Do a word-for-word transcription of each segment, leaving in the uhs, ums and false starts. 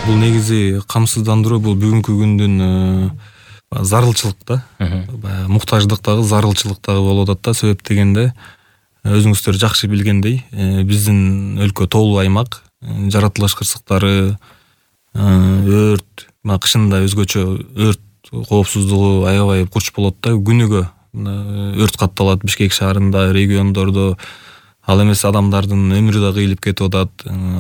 Бул негизи камсыздандыруу бул бүгүнкү күндүн зарылчылык да. Баягы муктаждыктагы зарылчылыктагы болуп атат да. Себеп дегенде өзүңүздөр жакшы билгендей, биздин өлкө тоолуу аймак, жаратылыш кырсыктары, өрт, кышында өзгөчө өрт коопсуздугу аябай курч болот да. Күнүгө өрт катталат Бишкек шаарында, региондордо. Ал эмес адамдардын өмүрү да кыйылып кетип атат.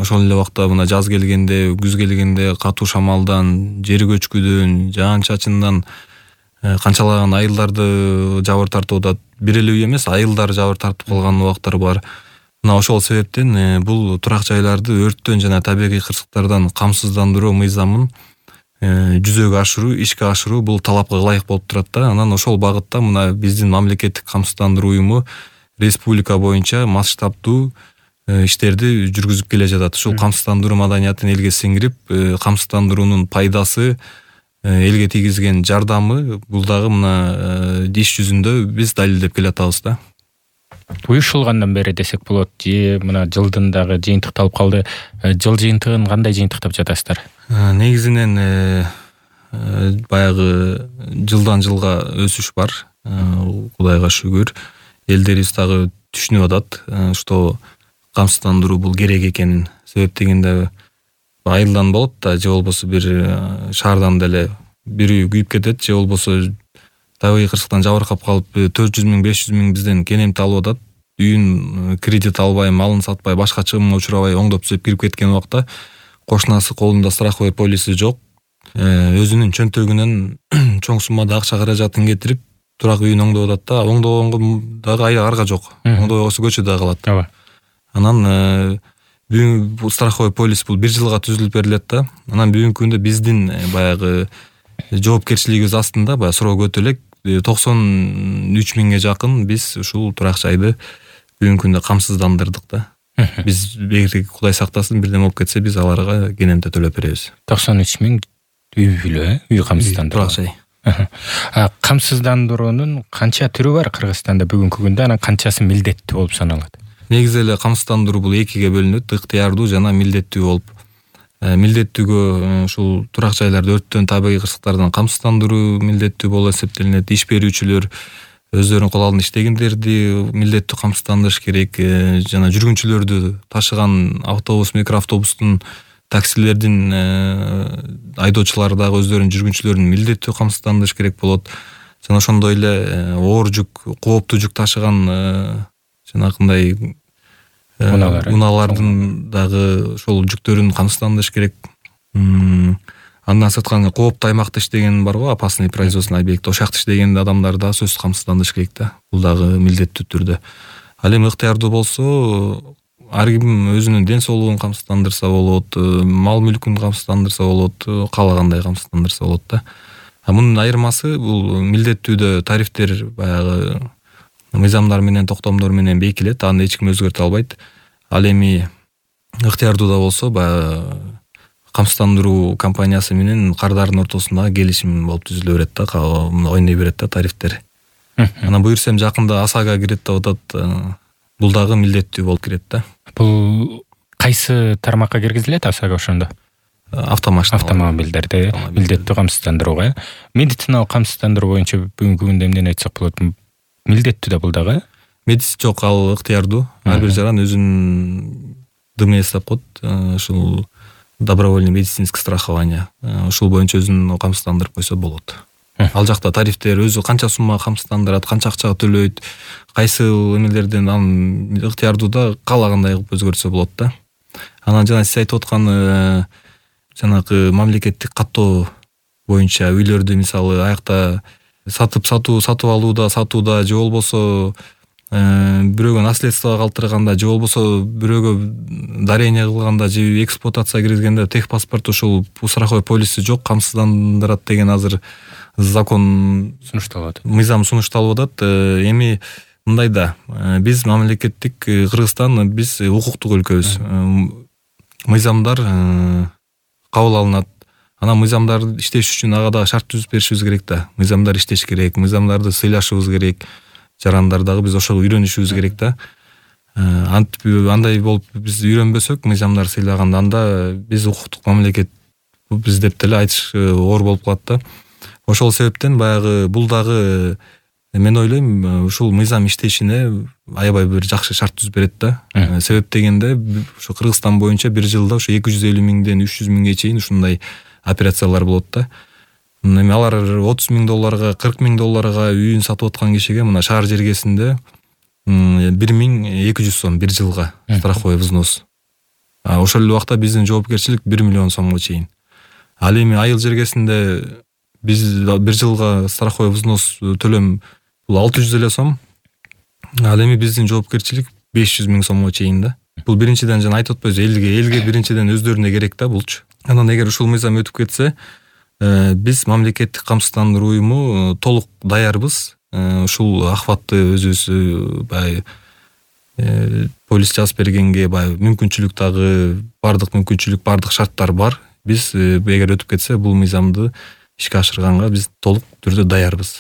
Ошол эле убакта мына жаз келгенде, күз келгенде катуу шамалдан, жер көчкүдөн, жаан-чачындан канчалаган айылдарды жабыр тартып атат. Бир эле үй эмес, айылдар жабыр тартып калган убактар бар. Мына ошол себептен бул турак жайларды өрттөн жана табигый кырсыктардан камсыздандыруу мыйзамын жүзөгө ашыруу, ишке ашыруу бул талапка ылайык болуп турат да. Анан ошол багытта мына биздин мамлекеттик камсыздандыруу уюму республика боюнча масштабдуу иштерди жүргүзүп келе жатат. Ушул камсыздандыруу маданиятын элге сиңирип, камсыздандыруунун пайдасы, элге тийгизген жардамы бул дагы мына иш жүзүндө биз далилдеп келе атабыз да. Уюшулгандан бери десек болот, же мына жылдын дагы жыйынтыкталып калды. Жыл жыйынтыгын кандай жыйынтыктап жатасыздар? Негизинен баягы жылдан жылга өсүш бар. Кудайга шүгүр. Элдерибиз дагы түшүнүп атат, что камсыздандыруу бул керек экенин. Себеп дегенде айылдан болот да, же болбосо бир шаардан деле бир үй күйүп кетет, же болбосо табигый кырсыктан жабыркап калып төрт жүз миң, беш жүз миң бизден кенемти алып атат. Үйүн кредит албай, малын сатпай, башка чыгымга учурабай оңдоп түзөп кирип кеткен убакта кошунасы колунда страховой полиси жок, өзүнүн чөнтөгүнөн чоң суммада акча каражатын кетирип турак үйүн оңдоп атат да. Оңдогонго дагы арга жок. Оңдобой койсо көчөдө калат. Анан бүгүн страховой полис бул бир жылга түзүлүп берилет да. Анан бүгүнкү күндө биздин баягы жоопкерчилигибиз астында баягы суроо көтө элек токсон үч миңге жакын биз ушул турак жайды бүгүнкү күндө камсыздандырдык да. Биз эгер Кудай сактасын бирдеме болуп кетсе, биз аларга кенемте төлөп беребиз. токсон үч миң үй бүлө, үй камсыздандыруу. Турак жай. Камсыздандыруунун канча түрү бар Кыргызстанда бүгүнкү күндө, анан канчасы милдеттүү болуп саналат? Негизи эле камсыздандыруу бул экиге бөлүнөт, ыктыярдуу жана милдеттүү болуп. Милдеттүүгө ушул турак жайларды өрттөн, табигый кырсыктардан камсыздандыруу милдеттүү болуп эсептелинет. Иш берүүчүлөр өздөрүнүн кол алдына иштегендерди милдеттүү камсыздандырыш керек, жана жүргүнчүлөрдү ташыган автобус, микроавтобустун, таксилердин айдоочулары дагы өздөрүнүн жүргүнчүлөрүн милдеттүү камсыздандырыш керек болот. Жана ошондой эле оор жүк, кооптуу жүк ташыган жанакындай унаалардын дагы ошол жүктөрүн камсыздандырыш керек. Андан сырткары кооптуу аймакта иштеген бар го, опасный производственный объект. Ошол жакта иштеген адамдар да сөзсүз камсыздандырыш керек да. Бул дагы милдеттүү түрдө. Ал эми ыктыярдуу болсо, ар ким өзүнүн ден соолугун камсыздандырса болот, мал мүлкүн камсыздандырса болот, каалагандай камсыздандырса болот да. А мунун айырмасы бул милдеттүүдө тарифтер баягы мыйзамдар менен, токтомдор менен бекилет, аны эч ким өзгөртө албайт. Ал эми ыктыярдууда болсо баягы камсыздандыруу компаниясы менен кардардын ортосунда келишим болуп түзүлө берет да, ойной берет да тарифтер. Анан буюрсам жакында ОСАГО кирет деп атат. Бул дагы милдеттүү болуп кирет да. Бул кайсы тармакка киргизилет ОСАГО ошондо? Автомашина. Автомобилдерди милдеттүү камсыздандырууга. Медициналык камсыздандыруу боюнча бүгүнкү күндө эмнени айтсак болот? Милдеттүү да бул дагы? Медис жок, ал ыктыярдуу. Ар бир жаран өзүнүн дыме эстеп коет. Ушул добровольный медицинский страхование. Ушул боюнча өзүн камсыздандырып койсо болот. Ал жакта тарифтер өзү канча сумма камсыздандырат, канча акчага төлөйт, кайсы эмелерден анын ыктыярдууда каалагандай кылып өзгөртсө болот да. Анан жана сиз айтып аткан жанагы мамлекеттик каттоо боюнча үйлөрдү мисалы аякта сатып сатуу, сатып алууда, сатууда, же болбосо бирөөгө наследствого калтырганда, же болбосо бирөөгө дарение кылганда, же эксплуатация киргизгенде техпаспорт ушул страховой полиси жок, камсыздандырат деген азыр закон сунушталып атат. Мыйзам сунушталып атат. Эми мындай да, биз мамлекеттик Кыргызстан, биз укуктук өлкөбүз. Мыйзамдар кабыл алынат. Анан мыйзамдар иштеш үчүн ага да шарт түзүп беришибиз керек да. Мыйзамдар иштеш керек, мыйзамдарды сыйлашыбыз керек. Жарандар дагы биз ошого үйрөнүшүбүз керек да. Антип андай болуп биз үйрөнбөсөк, мыйзамдар сыйлаганда, анда биз укуктук мамлекет биз деп деле айтыш оор болуп калат да. Ошол себептен баягы бул дагы мен ойлойм ушул мыйзам иштешине аябай бир жакшы шарт түзүп берет да. Себеп дегенде ушу Кыргызстан боюнча бир жылда ушу эки жүз элүү миңден үч жүз миңге чейин ушундай операциялар болот да. Эми алар отуз миң долларга, кырк миң долларга үйүн сатып аткан кишиге мына шаар жергесинде бир миң эки жүз сом бир жылга страховой взнос. Ошол эле убакта биздин жоопкерчилик бир миллион сомго чейин. Ал эми айыл жергесинде биз бир жылга страховой взнос төлөм бул алты жүз эле сом. Ал эми биздин жоопкерчилик беш жүз миң сомго чейин да. Бул биринчиден жана айтып атпайбыз, элге, элге биринчиден өздөрүнө керек да булчу. Анан эгер ушул мыйзам өтүп кетсе, биз мамлекеттик камсыздандыруу уюму толук даярбыз. Ушул ахватты өзүбүз бай полис жазып бергенге бай мүмкүнчүлүк дагы бардык мүмкүнчүлүк, бардык шарттар бар. Биз эгер өтүп кетсе бул мыйзамды ишке ашырганга биз толук түрдө даярбыз.